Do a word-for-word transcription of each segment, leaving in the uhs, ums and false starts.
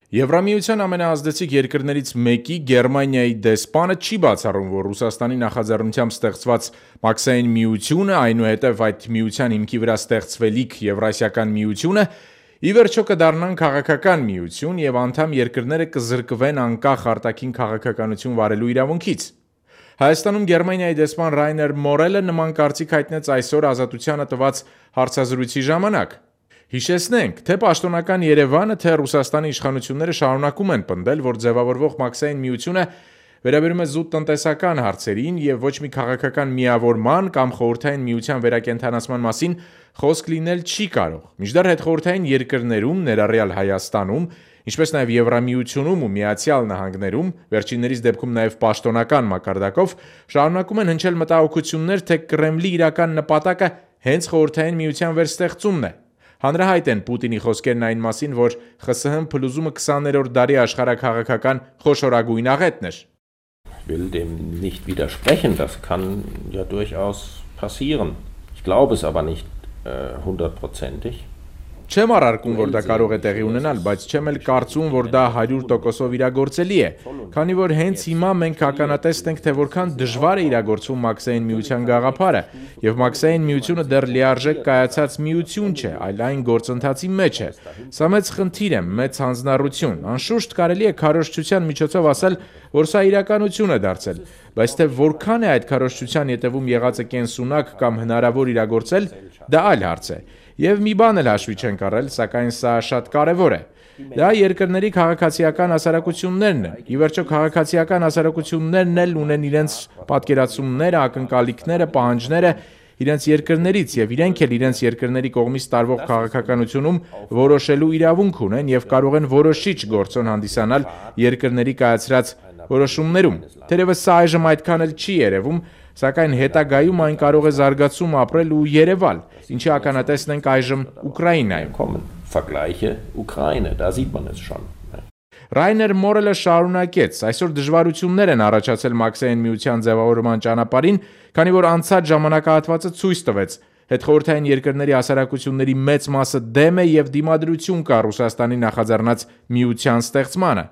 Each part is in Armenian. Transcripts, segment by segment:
Եվրամիության ամենաազդեցիկ երկրներից մեկի Գերմանիայի դեսպանը չի բացառում, որ Ռուսաստանի նախաձեռնությամբ ստեղծված Մաքսային միությունը, այնուհետև այդ միության հիմքի վրա ստեղծվելիք Եվրասիական միությունը, ի վերջո կդառնան քաղաքական միություն և անդամ երկրները կզրկվեն անկախ արտաքին քաղաքականություն վարելու իրավունքից։ Հայաստանում Գերմանիայի դեսպան Ռայներ Մորելը նման կարծիք հայտնեց այսօր Ազատությանը տված հարցազրույցի ժամանակ։ Հիշեցնենք, թե պաշտոնական Երևանը, թե Ռուսաստանի իշխանությունները շարունակում են պնդել, որ ձևավորվող Մաքսային միությունը վերաբերում է զուտ տնտեսական հարցերին և ոչ մի քաղաքական միավորման կամ խորհրդային միության վերակենդանացման մասին խոսք լինել չի կարող։ Մինչդեռ հետխորհրդային երկրներում, ներառյալ Հայաստանում, ինչպես նաև Եվրամիությունում ու Միացյալ Նահանգներում, վերջիններիս դեպքում նաև պաշտոնական մակարդակով, շարունակում են հնչել մտահոգություններ, թե Կրեմլի իրական նպատակը հենց խորհրդային միության վերստեղծումն է։ Հանրահայտ են Պուտինի խոսքերն այն մասին, որ ԽՍՀՄ փլուզումը քսաներորդ դարի աշխարհաքաղաքական խոշորագույն աղետն էր։ Ich will dem nicht widersprechen, das kann ja durchaus passieren. Ich glaube es aber nicht hundertprozentig. Չեմ առարկում, որ դա կարող է տեղի ունենալ, բայց չեմ էլ կարծում, որ դա հարյուր տոկոսով իրագործելի է, քանի որ հենց հիմա մենք ականատես ենք, թե որքան դժվար է իրագործվում Մաքսային միության գաղափարը, եւ Մաքսային միությունը դեռ լիարժեք կայացած միություն չէ, այլ այն գործընթացի մեջ է։ Սա մեծ խնդիր է, մեծ հանձնառություն։ Անշուշտ կարելի է քարոզչության միջոցով ասել, որ սա իրականություն է դարձել, բայց թե որքան է այդ քարոզչության ետևում եղածը կենսունակ կամ հնարավոր իրագործել, դա այլ հարց է։ Եվ մի բան էլ հաշվի չենք առել, սակայն սա շատ կարևոր է։ Դա երկրների քաղաքացիական հասարակություններն են։ Ի վերջո քաղաքացիական հասարակություններն էլ ունեն իրենց պատկերացումները, ակնկալիքները, պահանջները իրենց երկրներից եւ իրենք էլ իրենց երկրների կողմից տարվող քաղաքականությունում որոշելու իրավունք ունեն եւ կարող են որոշիչ գործոն հանդիսանալ երկրների կայացրած որոշումներում։ Թերևս սա այժմ այդքան էլ չի երևում, սակայն հետագայում այն կարող է զարգացում ապրել ու երևալ, ինչի ականատեսն ենք այժմ Ուկրաինայում։ Vergleiche Ukraine, da sieht man es schon. Ռայներ Մորելը շարունակեց. այսօր դժվարություններ են առաջացել Մաքսային միության ձևավորման ճանապարհին, քանի որ անցած ժամանակահատվածը ցույց տվեց, հետխորհրդային երկրների հասարակությունների մեծ մասը դեմ է եւ դիմադրություն կա Ռուսաստանի նախաձեռնած միության ստեղծմանը։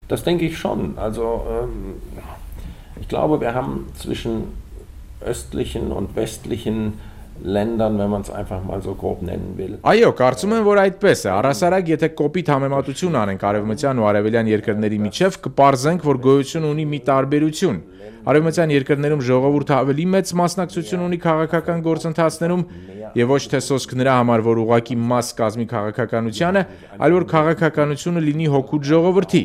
Das denke ich schon. Also ähm, ich glaube, wir haben zwischen östlichen und westlichen Ländern, wenn man es einfach mal so grob nennen will. Այո, կարծում եմ, որ այդպես է։ Առասարակ, եթե կոպիտ համեմատություն անենք արևմտյան ու արևելյան երկրների միջև, կպարզենք, որ գոյություն ունի մի տարբերություն։ Արևմտյան երկրներում ժողովուրդը ավելի մեծ մասնակցություն ունի քաղաքական գործընթացներում եւ ոչ թե սոսկ նրա համար, որ ուղակի մաս կազմի քաղաքականությանը, այլ որ քաղաքականությունը լինի հոգուտ ժողովրդի։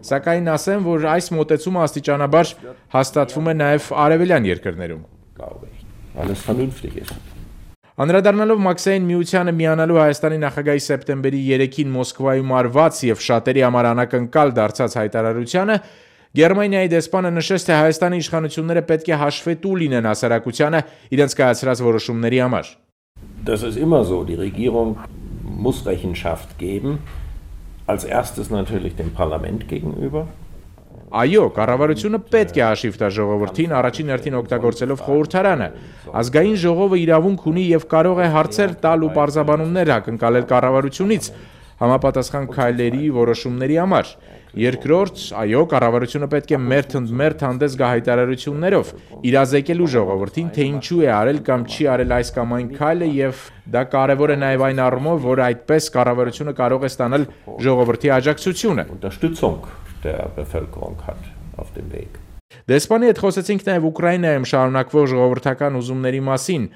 Սակայն ասեմ, որ այս մոտեցումը աստիճանաբար հաստատվում է նաև արևելյան երկրներում։ Alles vernünftig ist. Անդրադառնալով Մաքսային միությանը միանալու Հայաստանի նախագահի սեպտեմբերի երեքին Մոսկվայում արված եւ շատերի համար անակնկալ դարձած հայտարարությանը, Գերմանիայի դեսպանը նշեց, թե Հայաստանի իշխանությունները պետք է հաշվետու լինեն հասարակությանը իրենց կայացրած որոշումների համար։ Das ist immer so, die Regierung muss Rechenschaft geben, als erstes natürlich dem Parlament gegenüber. Այո, կառավարությունը պետք է հաշիվ տա ժողովրդին, առաջին հերթին օգտագործելով խորհրդարանը։ Ազգային ժողովը իրավունք ունի եւ կարող է հարցեր տալ ու պարզաբանումներ ակնկալել կառավարությունից համապատասխան քայլերի, որոշումների համար։ Երկրորդ, այո, կառավարությունը պետք է մերթընդմերթ հանդես գա հայտարարություններով, իրազեկելու ժողովրդին, թե ինչու է արել կամ չի արել այս կամ այն քայլը եւ դա կարեւոր է նաեւ այն առումով, որ այդպես կառավարությունը կարող է ստանալ ժողովրդի աջակցությունը։ Der Bevölkerung hat auf dem Weg. Դեսպանի հետ խոսեցինք նաև Ուկրաինայում շարունակվող ժողովրդական ուզումների մասին։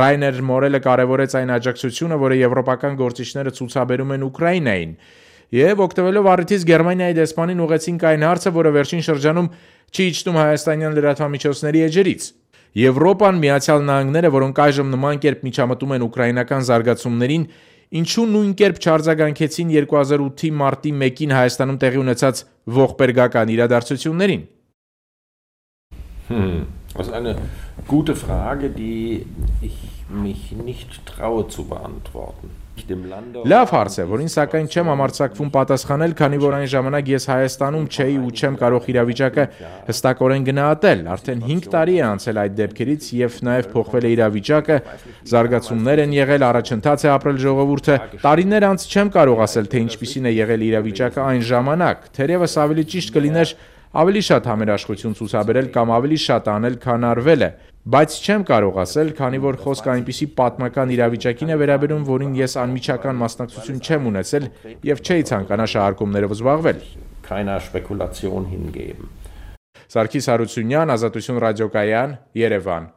Ռայներ Մորելը կարևորեց այն աջակցությունը, որը եվրոպական գործիչները ցուցաբերում են Ուկրաինային, եւ օգտվելով առիթից Գերմանիայի դեսպանին ուղեցինք այն հարցը, որը վերջին շրջանում չի իջնում հայաստանյան լրատվամիջոցների էջերից։ Եվրոպան, Միացյալ Նահանգները, որոնք այժմ նման կերպ միջամտում են ուկրաինական զարգացումներին, ինչու նույն կերպ չարձագանքեցին երկու հազար ութի մարտի մեկին Հայաստանում տեղի ունեցած ողբերգական իրադարձություններին։ Hm, das ist eine gute Frage, die ich mich nicht traue zu beantworten. Լավ հարց է, որին սակայն չեմ համարձակվում պատասխանել, քանի որ այն ժամանակ ես Հայաստանում չէի ու չեմ կարող իրավիճակը հստակորեն գնահատել։ Արդեն հինգ տարի է անցել այդ դեպքերից եւ նաեւ փոխվել է իրավիճակը, զարգացումներ են եղել, առաջընթաց է ապրել ժողովուրդը։ Տարիներ անց չեմ կարող ասել, թե ինչպիսին է եղել իրավիճակը այն ժամանակ, թերևս ավելի ճիշտ կլիներ ավելի շատ համերաշխություն ցուցաբերել կամ ավելի շատ անել, քան արվել է, բայց չեմ կարող ասել, քանի որ խոսքը այնպիսի պատմական իրավիճակին է վերաբերում, որին ես անմիջական մասնակցություն չեմ ունեցել եւ չէի ցանկանա շահարկումներով զբաղվել։ Keiner Spekulation hingeben. Սարգիս Հարությունյան, Ազատություն ռադիոկայան, Երևան։